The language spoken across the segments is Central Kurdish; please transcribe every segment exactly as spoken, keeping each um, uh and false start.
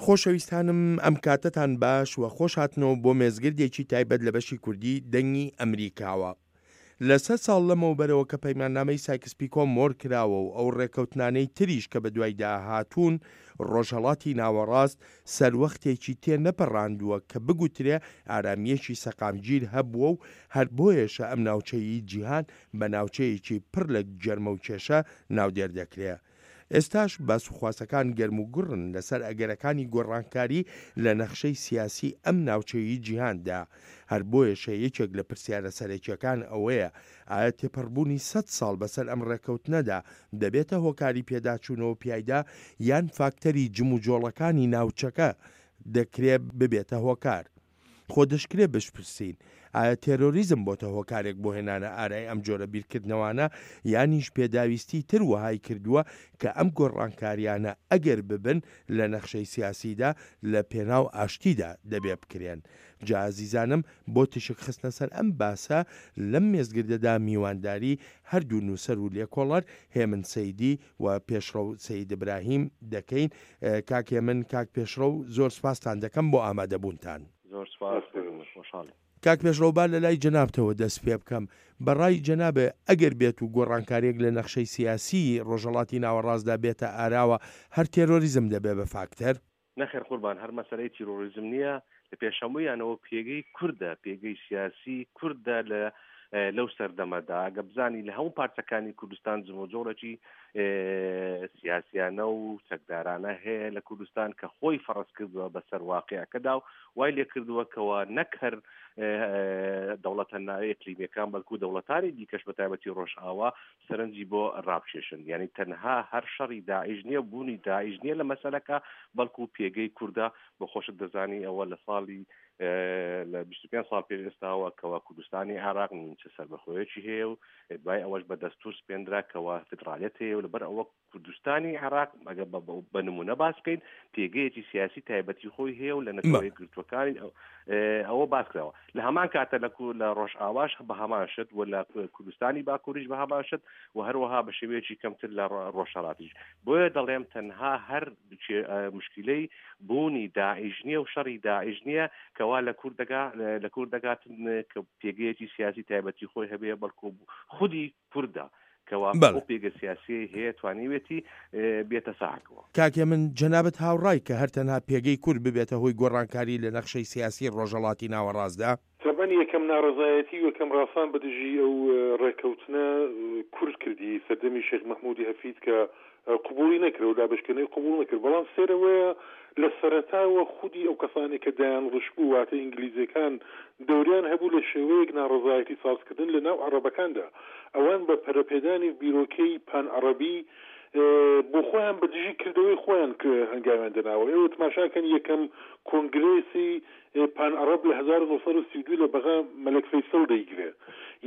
خۆشەویستانم ئەم کاتەتان باش و خۆش هاتنەوە بۆ مێزگردێکی تایبەت لە بەشی کوردی دەنگی ئەمریکاوە. لە سەد ساڵ لەمەوبەرەوە کە پەیماننامەی سایکس پیکۆ مۆر کراوە و ئەو ڕێکەوتنانەی تریش کە بەدوایدا هاتوون، ڕۆژهەڵاتی ناوەڕاست سەروەختێکی تێ نەپەڕاندووە کە بگوترێ ئارامییەکی سەقامگیر هەبووە و هەر بۆیەشە ئەم ناوچەی جیهان بە ناوچەیەکی پڕ لە گەرمە و کێشە ناودێر دەکرێ. ئێستاش باسوخواسەکان گەرموگوڕن لەسەر ئەگەرەکانی گۆڕانکاری لە نەخشەی سیاسی ئەم ناوچەی جیهاندا. هەر بۆیەشە یەکێک لە پرسیارە سەرەکیەکان ئەوەیە ئایا تێپەڕبوونی سەد ساڵ بەسەر ئەم ڕێکەوتنەدا دەبێتە هۆکاری پێداچوونەوە پیایدا یان فاکتەری جموجۆڵەکانی ناوچەکە دەکرێ ببێتە هۆکار؟ خۆ دەشکرێ بشپرسین ئایا تێرۆریزم بۆتە هۆکارێک بۆ هێنانە ئارای ئەم جۆرە بیرکردنەوانە یانیش پێداویستی تر وەهای کردووە کە ئەم گۆڕانکاریانە ئەگەر ببن لە نەخشەی سیاسیدا لە پێناو ئاشتیدا دەبێ بکرێن. جا ئازیزانم بۆ تیشک خستنە سەر ئەم باسە لەم مێزگردەدا میوانداری هەردوو نووسەر و لێکۆڵەر هێمن سەیدی و پێشڕەو سەید ئیبراهیم دەکەین. کاک هێمن، کاک پێشڕەو زۆر سپاستان دەکەم بۆ ئامادەبوونتان. زۆر سپاس، خۆشحاڵین. کاک پێشڕەو با لە لای جەنابتەوە دەست پێ بکەم. بە ڕای جەنابێ ئەگەر بێت و گۆڕانکارییەک لە نەخشەی سیاسیی ڕۆژهەڵاتی ناوەڕاستدا بێتە ئاراوە هەر تێرۆریزم دەبێ بە فاکتەر؟ نەخێر قوربان، هەر مەسەلەی تیرۆریزم نییە، لە پێش هەموویانەوە پێگەی کوردە، پێگەی سیاسی کوردە لە لەو سەردەمەدا. ئەگە بزانی لە هەموو پارچەکانی کوردستان جموجۆڵێکی سیاسیانە و چەکدارانە هەیە لە کوردستان کە خۆی فەڕز کردووە بەسەر واقعەکەدا و وای لێ کردووە کەوا نەک هەر دەوڵەتە ناوی ئیقلیمیەکان بەڵکو دەوڵەتانی دیکەش بە تایبەتی ڕۆژئاوا سەرنجی بۆ ڕابکێشن. یعنی تەنها هەر شەڕی داعش نییە، بوونی داعش نییە لە مەسەلەکە، بەڵکو پێگەی کوردە. بۆ خۆشت دەزانی ئەوە لە ساڵی لە بیست و پێنج ساڵ پێش ئێستاوە کەوا کوردستانی عێراق نیمچە سەربەخۆیەکی هەیە و دوای ئەوەش بە دەستور سپێندرا کەوا فیدرالیەت هەیە و لەبەر ئەوە کوردستانی عێراق ئەگەر بە نمونە باس بکەین پێگەیەکی سیاسی تایبەتی خۆی هەیە و لە نەتەوە یەکگرتووەکانی ئەوە باس کراوە. لە هەمان کاتە لە لە ڕۆژئاواش بە هەمان شت و لە کوردستانی باکووریش بە هەمان شت و هەروەها بە شێوەیەکی کەمتر لە ڕۆژهەڵاتیش. بۆیە دەڵێم تەنها هەر مشکلەی بوونی داعش نییە و شەڕی داعش نییە کەوا لە کوردەگا لە کوردەگات کە پێگەیەکی سیاسی تایبەتی خۆی هەبێ، بەڵکو خودی کوردە کەوا ئەو پێگە سیاسی هەیە توانیوێتی بێتە ساحەکەوە. کاکێ من جەنابت هاوڕای کە هەر تەنها پێگەی کورد ببێتە هۆی گۆڕانکاری لە نەخشەی سیاسی ڕۆژهەڵاتی ناوەڕاستدا؟ تەبعەن یەکەم ناڕەزایەتی و یەکەم ڕاسان بە دژی ئەو ڕێککەوتنە کورد کردی سەردەمی شێخ مەحموودی هەفید کە قبوڵی نەکرد و دابەشکردنەوەی قبوڵ نەکرد. بەڵام سەیرەوەیە لە سەرەتاوە خودی ئەو کەسانێک کە دایان ڕشبوو واتە ئینگلیزیەکان دەوریان هەبوو لە شێوەیەک ناڕەزایەتی سازکردن لە ناو عەڕەبەکاندا. ئەوان بە پەرەپێدانی بیرۆکەی پان عەڕەبی بۆ خۆیان بە دژی کردەوەی خۆیان هەنگاویان دەناوە. ئێوە تماشاکەن یەکەم کۆنگرێسی پان عەڕەب لە هەزار و نۆ سەد و سی و دوو لە بەغا مەلەک فەیسەڵ دەیگرێ.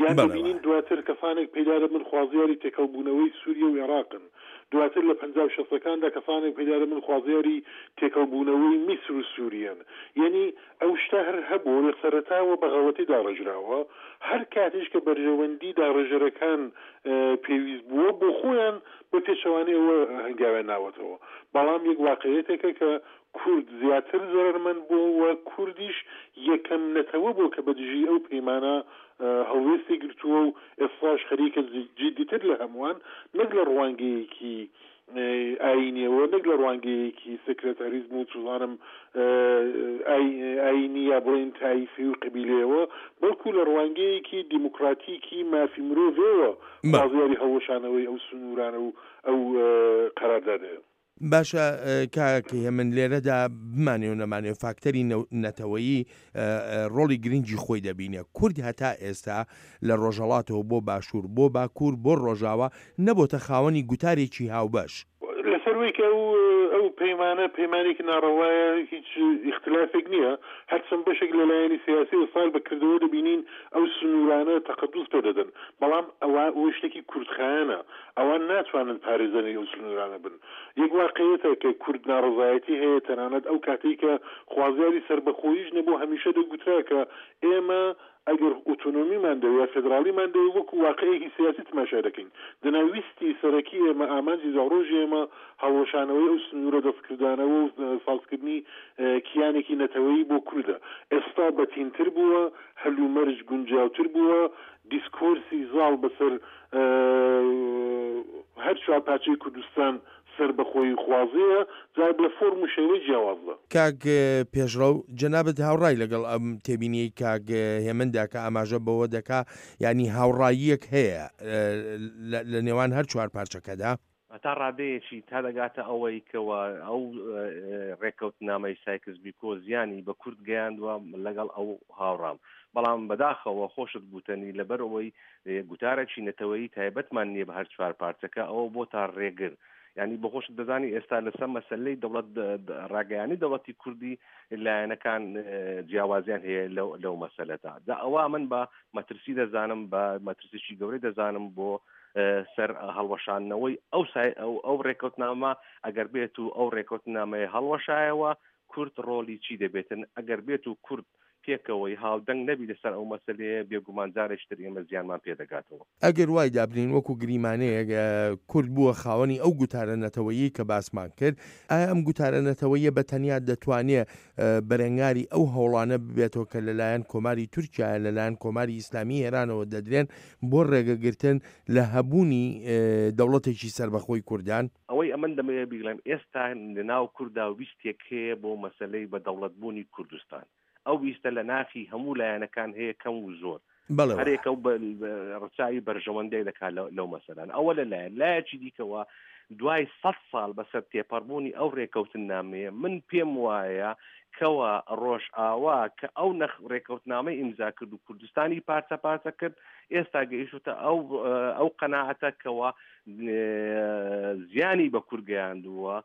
یان دەبینین دواتر کەسانێک پەیدا دەبن خوازیاری تێکەڵبوونەوەی سووریە و عێراقن. دواتر لە پەنجا و شەستەکاندا کەسانێک پەیدا دەبن خوازیاری تێکەڵبوونەوەی میسر و سووریەن. یەنی ئەو شتە هەر هەبوو لە سەرەتاوە بە غەڵەتی داڕێژراوە. هەر کاتیش کە بەرژەوەندی داڕێژەرەکان پێویست بووە بۆ خۆیان بە پێچەوانەی ئەوە هەنگاویان ناوەتەوە. بەڵام یەک واقعیەتێکە کە کورد زیاتر زەرەرمەند بووە و کوردیش یەکەم نەتەوە بووە کە بە دژی ئەو پەیمانە هەڵوێستی گرتووە و ئێستاش خەریکە جیدیتر لە هەمووان نەک لە ڕوانگەیەکی ئایینیەوە، نەک لە ڕوانگەیەکی سێکرێتاریزم و چوزانم ئایینی یا بڵێین تایفی و قەبیلەیەوە، بەڵکو لە ڕوانگەیەکی دیموکراتیکی مافی مرۆڤەوە خوازیاری هەڵوەشانەوەی ئەو سنوورانە و ئەو قەراردادەیە. باشە کاک هێمن، لێرەدا بمانێ و نەمانێ فاکتەری نەتەوەیی ڕۆڵی گرنگی خۆی دەبینێ. کورد هەتا ئێستا لە ڕۆژهەڵاتەوە بۆ باشوور، بۆ باکوور، بۆ ڕۆژاوا نەبۆتە خاوەنی گوتارێکی هاوبەش. لەسەر وەی کە ئەو ئەو پەیمانە پەیمانێکی ناڕەوایە هیچ ئیختلافێک نییە، هەرچەند بەشێک لە لایەنی سیاسی ئێستا بە کردەوە دەبینین ئەو سنوورانە تەقەدوس پێ دەدەن، بەڵام ئەوە ئەوە شتێکی کورتخایەنە، ئەوان ناتوانن پارێزەری ئەو سنوورانە بن. یەک واقعیەتە کە کورد ناڕەزایەتی هەیە، تەنانەت ئەو کاتەی کە خوازیاری سەربەخۆییش نەبوو هەمیشە دەگوترا کە ئێمە ئەگەر ئۆتۆنۆمیمان دەوێ یا فێدراڵیمان دەوێ وەکو واقعێکی سیاسی تماشا دەکەین. دەنا ویستی سەرەکی ئێمە، ئامانجی دواڕۆژی ئێمە هەڵوەشانەوەی ئەو سنوورە دەستکردانەوە و سازکردنی کیانێکی نەتەوەیی بۆ کوردە. ئێستا بەتینتر بووە، هەلومەرج گونجاوتر بووە، دیسکۆرسی زاڵ بەسەر هەر چوار پارچەی کوردستان سەربەخۆیی خوازەیە، جا لە فۆرم و شێوەی جیاوازدا. کاک پێشڕەو، جەنابت هاوڕای لەگەڵ ئەم تێبینیەی کاک هێمندا کە ئاماژە بەوە دەکا، یعنی هاوڕاییەک هەیە لە نێوان هەر چوار پارچەکەدا؟ تا ڕادەیەکی تا دەگاتە ئەوەی کەەوە ئەو ڕێککەوتنامەی سایکس بیکۆ زیانی بە کورد گەیاندووە، لەگەڵ ئەو هاوڕام. بەڵام بەداخەوە خۆشت گوتەنی لەبەر ئەوەی گوتارێکی نەتەوەیی تایبەتمان نییە بە هەر چوار پارچەکە، ئەوە بۆ تا ڕێگر. یعنی بەخۆشت دەزانی ئێستا لەسەر مەسلەی دەوڵەت ڕاگەیانی دەوڵەتی کوردی لایەنەکان جیاوازیان هەیە لەو مەسەلەدا. جا ئەوە من بە مەترسی دەزانم، بە مەترسیی گەورەی دەزانم بۆ سەر هەڵوەشاندنەوەی ئەو ئەو ڕێکەوتنامە. ئەگەر بێت و ئەو ڕێکەوتنامەیە هەڵوەشایەوە کورد ڕۆلی چی دەبێتن؟ ئەگەر بێت و کورد پێکەوەی هاودەنگ نەبی لەسەر ئەو مەسلەیە، بێگومان جارێکتر ئێمە زیانمان پێدەگاتەوە. ئەگەر وای دابنین وەکو گریمانەیەک کورد بووە خاوەنی ئەو گوتارە نەتەوەیی کە باسمان کرد، ئایا ئەم گوتارە نەتەوەیە بە تەنیا دەتوانێت بەرەنگاری ئەو هەوڵانە ببێتەوە کە لەلایەن کۆماری تورکیا لەلایەن کۆماری ئیسلامی ئێرانەوە دەدرێن بۆ ڕێگەگرتن لە هەبوونی دەوڵەتێکی سەربەخۆی کوردان؟ ئەوەی ئەمن دەمەوێت بیڵێم ئێستا لەناو کووردا ویستێک هەیە بۆ مەسلەی بە دەوڵەتبوونی کوردستان. ئەو ویستە لە ناخی هەموو لایەنەکان هەیە کەم و زۆر، هەرێکە و ڕچاوی بەرژەوەندەی دەکات لەو مەسەلان. ئەوە لەلایەن لایەکی دیکەوە دوای سەد ساڵ بەسەر تێپەڕبوونی ئەو ڕێکەوتنامەیە، من پێم وایە کەوە ڕۆژئاوا کە ئەو نەخ ڕێکەوتنامەی ئیمزا کرد و کوردستانی پارچە پارچە کرد، ئێستا گەیشتە ئەو ئەو قەناعەتە کەوە زیانی بە کورد گەیاندووە،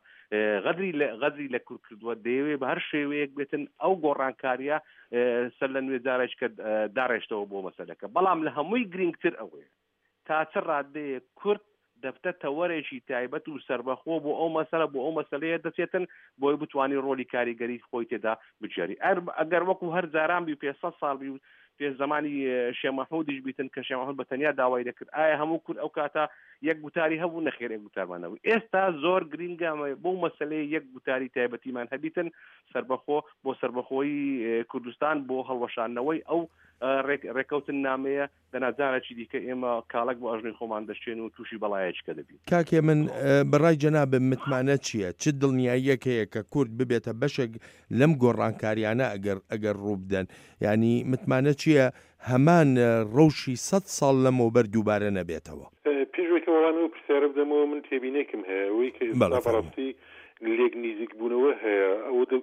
غەدری غەدری لە کورد کردووە، دەیەوێت بە هەر شێوەیەک بێتن ئەو گۆڕانکاریە سەر لە نوێ جارێک کە داڕێشتەوە بۆ مەسەلەکە. بەڵام لە هەمووی گرنگتر ئەوەیە تا چ ڕادەیەک کورد دەبتە تەوەرێکی تایبەت و سربەخۆ بۆ ئەو مەسەلە بۆ ئەو مەسلەیە دەچێتن بۆی بتوانانی ڕۆلی کاریگەری خۆی تێدا بگێڕی. ئەگەر وەکو هەر جاران بی پێ سەد ساڵ بی و پێش زمانی شێخ مەحموودیش بیتن کە شێخ مەحموود بە تەنیا داوای دەکرد، ئایا هەموو کورد ئەو کاتە یەک گوتاری هەبوو؟ نەخێر، یەک گوتارمان نەبوو. ئێستا زۆر گرنگە بۆ مەسلەیە یەک گوتاری تایبەتیمان هەبیتن سربەخۆ بۆ سربەخۆیی کوردستان بۆ هەڵوەشاندنەوەی ئەو ڕێکەوتن نامەیە. دەناجارێکی دیکە ئێمە کاڵک بۆ ئەژنی خۆمان دەشتێن و تووشی بەڵایەکە دەبین. کاکێ من بەڕای جەنابم متمانە چییە؟ چ دڵنیاییەک هەیە کە کورد ببێتە بەشێک لەم گۆڕانکاریانە ئەگەر ئەگەر ڕوو بدەن؟ یعنی متمانە چییە هەمان ڕەوشی سەد ساڵ لەمەوبەر دووبارە نەبێتەوە؟ پێش وەڵامی ئەو پرسیارە بدەمەوە من تێبینێکم هەیە، ئەوەی کە ئێستا بەڕاستی لێک نزیک بوونەوە هەیە،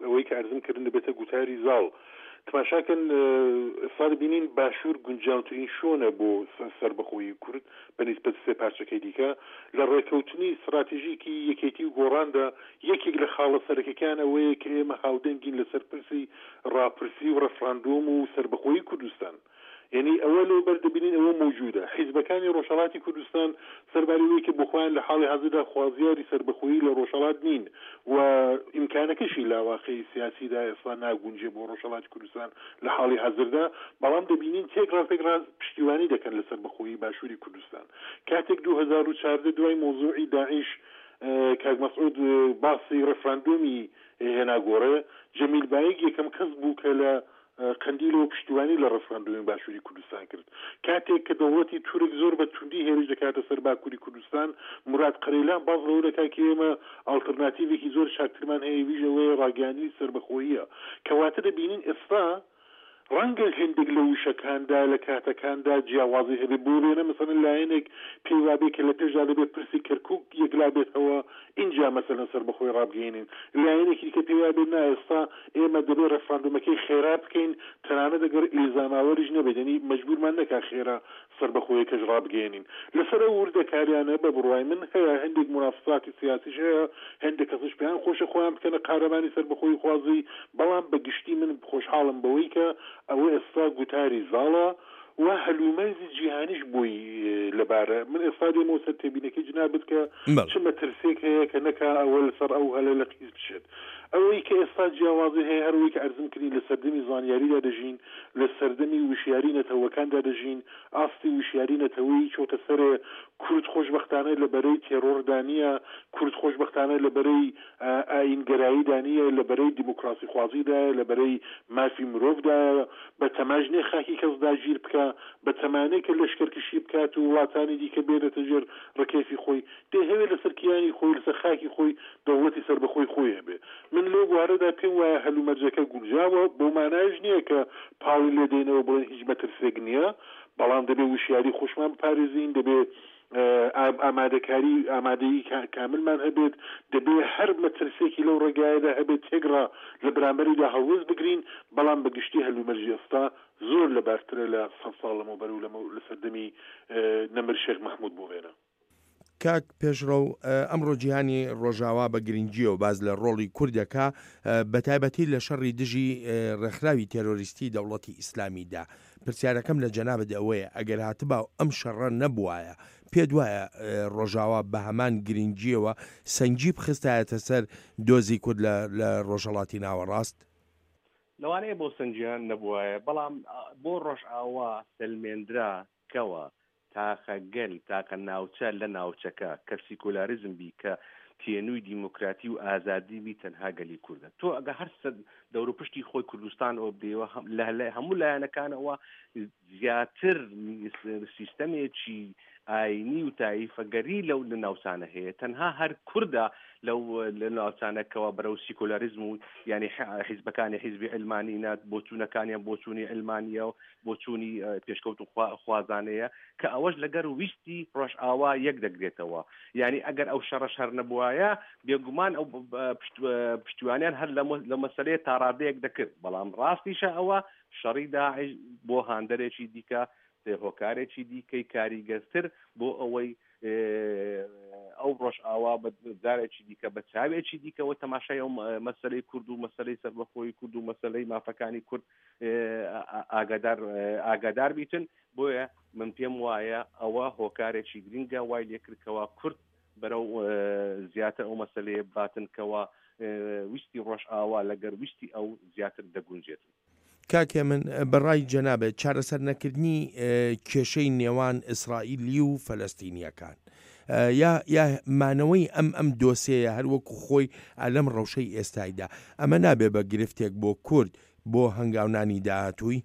ئەوەی کە ئەرزم کردن دەبێتە گوتاری زاڵ. تماشاکەن ئێستا دەبینین باشوور گونجاوترین شۆنە بۆ سەربەخۆیی کورد بە نیسبەت سێ پارچەکەی دیکە. لە ڕێکەوتنی استراتیژیکی یەکێتی و گۆڕاندا یەکێک لە خاڵە سەرەکەکان ئەوەیە کە ئێمە هاودەنگین لەسەر پرسی ڕاپرسی و ڕەفراندۆم و سەربەخۆیی کوردستان. یعنی ئەوە لەو بەر دەبینین ئەوە موجودە. حیزبەکانی ڕۆژهەڵاتی کوردستان سەرباری وەی کە بۆ خۆیان لە حاڵی حازردا خوازیاری سەربەخۆیی لە ڕۆژهەڵات نین و ئیمکانەکەشی لە واقعی سیاسیدا ئێستا ناگونجێ بۆ ڕۆژهەڵاتی کوردستان لە حاڵی حازردا، بەڵام دەبینین تێک ڕاستێک ڕاست پشتیوانی دەکەن لە سەربەخۆیی باشووری کوردستان. کاتێک دوو هەزار و چواردە دوای مۆزوعی داعش کاک مەسعود باسی ڕێفراندۆمی هێنا گۆڕێ، جەمیل بایک یەکەم کەس بوو کە لە قەندیلەوە پشتیوانی لە ڕێفراندۆمی باشووری کوردستان کرد. کاتێک کە دەوڵەتی تورک زۆر بە توندی هێرش دەکاتە سەر باکووری کوردستان، مراد قەرەیلان باز لەوە دەکات کە ئێمە ئاڵتەرناتیڤێکی زۆر چاکترمان هەیە، ویش ئەوەیە ڕاگەیاندنی سەربەخۆییە. کەواتە دەبینین ئێستا ڕەنگە هەندێک لە وشەکاندا لە کاتەکاندا جیاوازی هەبێ. بۆ وێنە مەسەلەن لایەنێک پێی وابێ کە لە پێشدا دەبێت پرسی کەرکووک یەکلا بێتەوە ئینجا مەسەلەن سەربەخۆی ڕابگەیەنین، لایەنێکی دیکە پێی وابێ نا ئێستا ئێمە دەبێت ڕێفراندۆمەکەی خێرا بکەین، تەنانەت ئەگەر ئیلزاماوەریش نەبێت، یعنی مەجبورمان نەکا خێرا سەربەخۆیەکەش ڕابگەیەنین. لەسەر ئەو وردەکاریانە بە بڕوای من هەیە هەندێک منافساتی سیاسیش هەیە، هەندێک کەسش پێیان خۆشە خۆیان بکەنە قارەمانی سەربەخۆی خوازی، بەڵام بەگشتی من خۆشحاڵم بەوەی کە ئەوە ئێستا گوتاری زاڵە و هەلومەرجی جیهانیش بۆی لەبارە. من ئێستا دێمەوە سەر تێبینەکەی جنابت کە چ مەترسێک هەیە کە نەکا ئەوە لەسەر ئەو هەلە لە قیز بچێت. ئەوەی کە ئێستا جیاوازی هەیە هەروەی کە ئەرزم کردین لە سەردەمی زانیاریدا دەژین، لە سەردەمی وشیاری نەتەوەکاندا دەژین، ئاستی وشیاری نەتەوەیی چۆتە سەرێ. کورد خۆشبەختانە لە بەرەی تێرۆردا نییە، کورد خۆشبەختانە لە بەرەی ئایینگەراییدا نییە، لە بەرەی دیموکراسیخوازیدایە، لە بەرەی مافی مرۆڤدایە. بە تەماش نییە خاکی کەس داگیر بکا، بە تەمانەیە کە لەشکرکشی بکات و وڵاتانی دیکە بێنێتە ژێر ڕکێفی خۆی. دەیهەوێت لەسەر کیانی خۆی، لەسەر خاکی خۆی دەوڵەتی سەربەخۆی خۆی هەبێ. من لەو بوارەدا پێم وایە هەلومەرجەکە گونجاوە، بەو مانایەش نییە کە پاڵی لێ دێنەوە بڵێن هیچ مەترسێک نییە، بەڵام دەبێ وشیاری خۆشمان بپارێزین، دەبێ ئامادەکاری ئامادەیی کاملمان هەبێت، دەبێ هەر مەترسێکی لەو ڕێگایەدا هەبێت تێگڕا لە بەرامبەریدا هەڵوێست بگرین. بەڵام بەگشتی هەلومەرجی ئێستا زۆر لەبارترە لە سەد ساڵ لەمەوبەر و لە سەردەمی نەمر شێخ مەحموود بۆ وێنە. کاک پێشڕەو، ئەمڕۆ جیهانی ڕۆژاوا بە گرنگیەوە باز لە ڕۆڵی کوردەکە بە تایبەتی لە شەڕی دژی ڕێکخراوی تێرۆریستی دەوڵەتی ئیسلامیدا. پرسیارەکەم لە جەنابت ئەوەیە ئەگەر هاتبا و ئەم شەڕە نەبوایە، پێت وایە ڕۆژاوا بە هەمان گرنگیەوە سەنگی بخستایەتە سەر دۆزی کورد لە ڕۆژهەڵاتی ناوەڕاست؟ لەوانەیە بۆ سەنگیان نەبوایە، بەڵام بۆ ڕۆژئاوا سەلمێندرا کەوە تاقە گەل، تاقە ناوچە لە ناوچەکە کە سیکۆلاریزم بی، کە تێنووی دیموکراتی و ئازادی بی، تەنها گەلی کوردە. تۆ ئەگە هەر دەور و پشتی خۆی کوردستان ئەوە بدەیەوە، لە هەموو لایەنەکانەوە زیاتر سیستەمێکی ئاینی و تایفەگەری لەو ناوچانە هەیە. تەنها هەر کوردە لەو لە ناوچانەکەەوە بەرەو سیکۆلاریزم و یعنی حیزبەکانی حیزبی علمانی نات، بۆچوونەکانیان بۆچوونی علمانیە و بۆچوونی پێشکەوت و خوازانەیە کە ئەوەش لەگەر ویستی ڕۆژئاوا یەک دەگرێتەوە. یعنی ئەگەر ئەو شەڕە شەر نەبوایە بێگومان ئەو پشتیوانیان هەر لە مەسەلەیە تاڕادەیەک دەکرد. بەڵام ڕاستیشە ئەوە شەڕی داعش بۆ هاندەرێکی دیکە، هۆکارێکی دیکەی کاریگەرتر بۆ ئەوەی ئەو ڕۆژئاوا بە جارێکی دیکە بە چاوێکی دیکەوە تەماشای ئەو مەسەلەی کورد و مەسەلەی سەربەخۆی کورد و مەسەلەی مافەکانی کورد ئاگادار ئاگادار بیتن. بۆیە من پێم وایە ئەوە هۆکارێکی گرنگە وای لێکردکەوە کورد بەرەو زیاتر ئەو مەسەلەیە باتنکەوە ویستی ڕۆژئاوا لەگەر ویستی ئەو زیاتر دەگونجێت. کاکێ من بەڕای جەنابێت چارەسەر نەکردنی کێشەی نێوان ئیسرائیلی و فەلەستینیەکان یا یا مانەوەی ئەم ئەم دۆسێیە هەر وەکو خۆی لەم ڕەوشەی ئێستایدا، ئەمە نابێ بە گرفتێک بۆ کورد بۆ هەنگاونانی داهاتووی؟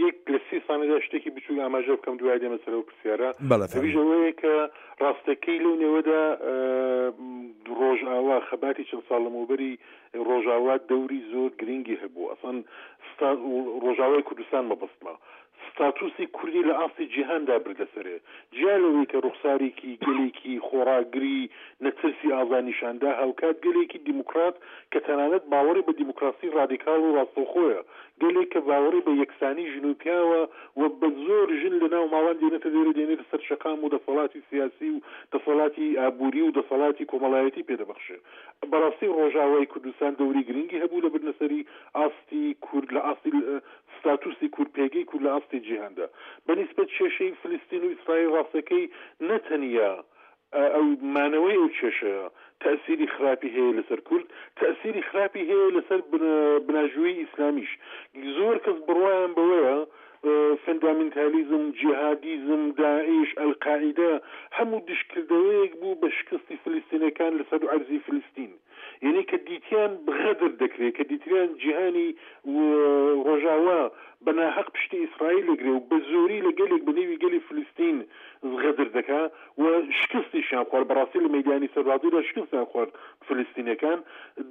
یەک لە سی سانەدا شتێکی بچووک ئاماژە بکەم دوای دێمە سەر ئەو پرسیارە. ئەویش ئەوەیە کە ڕاستەکەی لەو نێوەدا ڕۆژئاوا خەباتی چەند ساڵ لەمەوبەری ڕۆژئاوا دەوری زۆر گرنگی هەبوو. ئەسڵەن ڕۆژئاوای کوردستان مەبەستمە ستاتوسی کوردی لە ئاستی جیهاندا بردە سەرێ، جیا لەوەی کە ڕوخسارێکی گەلێکی خۆڕاگری نەترسی ئازا نیشاندا، هاوکات گەلێکی دیموکرات کە تەنانەت باوەڕی بە دیموکراسی ڕادیکاڵ و ڕاستەوخۆیە، گەلێک کە باوەڕی بە یەکسانی ژن و پیاوە و بە زۆر ژن لە ناو ماڵان دێنێتە دێرە، دێنێتە سەر شەقام و دەسەڵاتی سیاسی و دەسەڵاتی ئابووری و دەسەڵاتی کۆمەڵایەتی پێدەبەخشێ. بەڕاستی ڕۆژاوای کوردستان دەوری گرنگی هەبوو لە بردنەسەری ئاستی کورد لە ئاستی ستاتوسی کورد، پێگەی کورد لە ئاستی جیهاندا. بەنیسبەت کێشەی فلستین و ئیسرائیل ڕاستەکەی نەتەنیا ئەو مانەوەی ئەو کێشەیە تەئسیری خراپی هەیە لەسەر کورد، تەئسیری خراپی هەیە لەسەر بناژووی ئیسلامیش. زۆر کەس بڕوایان بەوەیە فەندامنتالیزم، جیهادیزم، داعش، ئەلقاعیدە هەموو دشکردەوەیەک بوو بە شکستی فلستینەکان لەسەر عەرزی فلستین. یعنی کە دیتیان غەدر دەکرێت، کە دیتیان جیهانی ڕۆژاوا بە ناحەق پشتی ئیسرائیل دەگرێ و بە زۆری لە گەلێک بە نێوی گەلی فلستین غەدر دەکا و شکستیشیان خوارد. بەڕاستی لە مەیدانی سەربازیدا شکستیان خوارد فلستینەکان،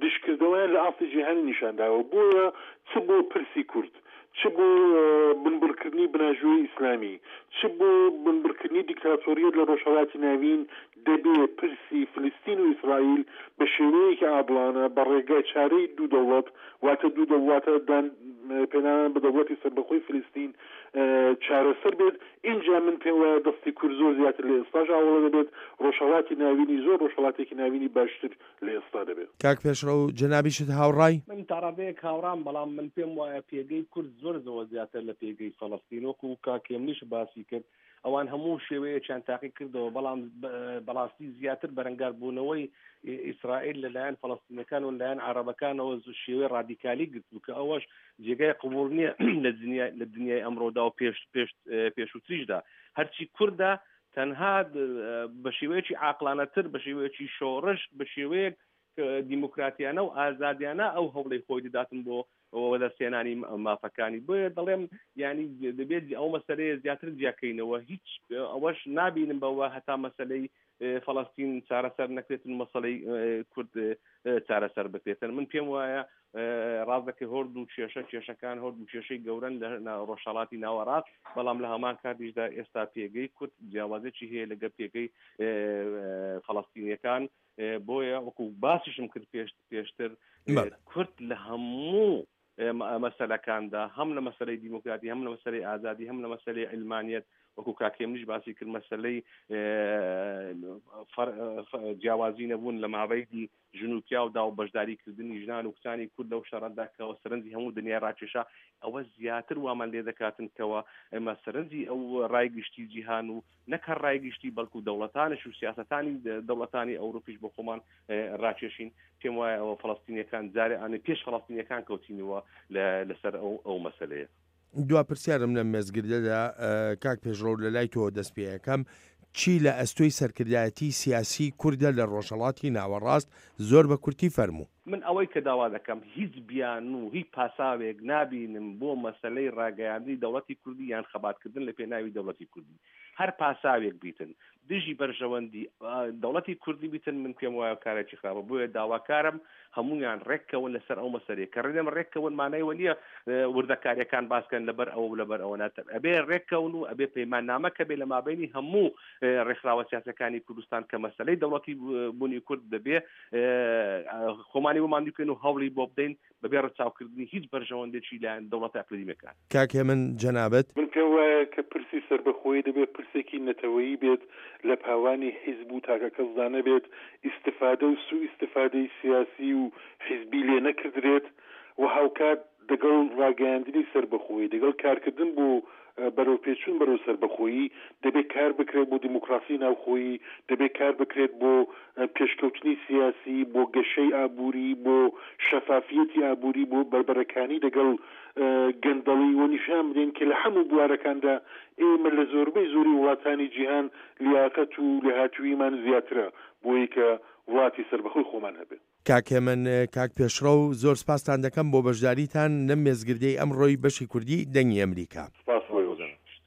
دشکردەوەیان لە ئاستی جیهانی نیشانداوە. بۆیە چ بۆ پرسی کورد، چ بۆ بنبڕکردنی بناژووی ئیسلامی، چ بۆ بنبڕکردنی دیکتاتۆریەت لە ڕۆژهەڵاتی ناوین، دەبێ پرسی فلستین و ئیسرائیل بە شێوەیەکی عادڵانە بە ڕێگای چارەی دوو دەوڵەت، واتە دوو دەوڵەتە دان پێنانان بە دەوڵەتی سەربەخۆی فلستین چارەسەر بێت. اینجا من پێم وایە دەستی کورد زۆر زیاتر لە ئێستاش ئاوەڵە دەبێت، ڕۆژهەڵاتی ناوینی زۆر ڕۆژهەڵاتێکی ناوینی باشتر لە ئێستا دەبێت. کاک پێشڕەو جەنابیشت هاوڕای؟ من تاڕادەیەک هاوڕام، بەڵام من پێم وایە پێگەی کورد زۆر زۆر زیاتر لە پێگەی فەلەستین، وەکو کاک هێمنیش باسی کرد. ئەوان هەموو شێوەیەکیان تاقی کردەوە، بەڵام بەڕاستی زیاتر بەرەنگاربوونەوەی ئیسرائیل لەلایەن فەڵەستینەکان و لەلایەن عەرەبەکانەوە شێوەی ڕادیکالی گرتبوو کە ئەوەش جێگای قبوڵ نییە لە دنیای ئەمڕۆدا و پێش پێش پێشووتریشدا. هەرچی کوردە تەنها بە شێوەیەکی عاقلانەتر، بە شێوەیەکی شۆڕش، بە شێوەیەک دیموکراتیانە و ئازادیانە ئەو هەوڵی خۆی دەداتن بۆ وەدەستهێنانی مافەکانی. بۆیە دەڵێم ینی دەبێت ئەو مەسلەیە زیاتر جیاکەینەوە. هیچ ئەوەش نابینم بەوە هەتا مەسلەی فەڵەستین چارەسەر نەکرێتن، مەسلەی کورد چارەسەر بکرێتن. من پێم وایە ڕاستەکەی هۆرد و کێشە کێشەکان هۆرد و کێشەی گەورن لە ڕۆژهەڵاتی ناوەڕاست، بەڵام لە هەمان کاتیشدا ئێستا پێگەی کورد جیاوازێکی هەیە لەگەڵ پێگەی فەڵەستینیەکان. بۆیە وەکو باسیشم کرد پێشتر کورد لە هەموو مەسەلەکاندا، هەم لە مەسەلەی دیموکراتی، هەم لە مەسەلەی ئازادی، هەم لە مەسەلەی علمانیەت، وەکو کاکێمنیش باسی کرد مەسەلەی جیاوازی نەبوون لە مابەیدی ژن و پیاودا و بەشداریکردنی ژنان و کچانی کورد لەو شەڕەدا کەەوە سەرنجی هەموو دنیای ڕاکێشا، ئەوە زیاتر وامان لێ دەکاتن کەەوە ئێمە سەرنجی ئەو ڕای گشتی جیهان و نەکە ڕای گشتی بەڵکو دەوڵەتانش و سیاسەتانی دەوڵەتانی ئەوروپیش بۆ خۆمان ڕاکێشین. پێم وایە ئەوە فەڵەستینیەکان جارێ ئانێ پێش فەڵەستینیەکان کەوتینەوە لەسەر ئەو ئەو مەسلەیە. دوا پرسیارم لەم مێزگردەدا کاک پێشڕەو لە لای تۆ دەست پێیەکەم، چی لە ئەستۆی سەرکردایەتی سیاسی کوردە لە ڕۆژهەڵاتی ناوەڕاست؟ زۆر بە کورتی فەرموو. من ئەوەی کە داوا دەکەم هیچ بیان و هیچ پاساوێک نابینم بۆ مەسلەی ڕاگەیاندنی دەوڵەتی کوردی یان خەباتکردن لە پێناوی دەوڵەتی کوردی. هەر پاساوێک بیتن دژی بەرژەوەندی دەوڵەتی کوردی بیتن، من پێم وایە کارێکی خراپە. بۆیە داواکارم هەمویان ڕێککەون لەسەر ئەو مەسەلەیە کە ڕێنم ڕێککەون مانای وە نییە وردەکاریەکان باسکەن لەبەر ئەوە و لەبەر ئەوە ناتر. ئەبێ ڕێککەون و ئەبێ پەیماننامە کە بێ لە مابینی هەموو ڕێکخراوە سیاسەکانی کوردستان کە مەسەلەی دەوڵەتی بوونی کورد دەبێ خۆمانی بۆمان بکەین و هەوڵی بۆ بدەین بەبێ ڕەچاوکردنی هیچ بەرژەوەندێکی لایەن دەوڵەتە ئەقلیمیەکان. کاک هێمن جەنابەت؟ من پێم وایە کە پرسی سەربەخۆیی دەبێت پرسێکی نەتەوەیی بێت، لە پاوانی حیزب و تاکەکەسدا نەبێت، ئیستفادە و سوء ئیستفادەی سیاسی و حیزبی لێ نەکردرێت و هاوکات دەگەڵ ڕاگەیاندنی سەربەخۆیی، دەگەڵ کارکردن بۆ بەرەوپێچوون بەرەو سەربەخۆیی، دەبێت کار بکرێت بۆ دیموکراسی ناوخۆیی، دەبێت کار بکرێت بۆ پێشکەوتنی سیاسی، بۆ گەشەی ئابووری، بۆ شەفافیەتی ئابووری، بۆ بەربەرەکانی دەگەڵ گەندەڵی و نیشان بدەین کە لە هەموو بوارەکاندا ئێمە لە زۆربەی زۆری وڵاتانی جیهان لیاقەت و لێهاتووییمان زیاترە بۆی کە وڵاتی سەربەخۆی خۆمان هەبێت. کاک هێمن، کاک پێشڕەو، زۆر سپاستان دەکەم بۆ بەشداریتان لەم مێزگردەی ئەمڕۆی بەشی کوردی دەنگی ئەمریکا. سپاس.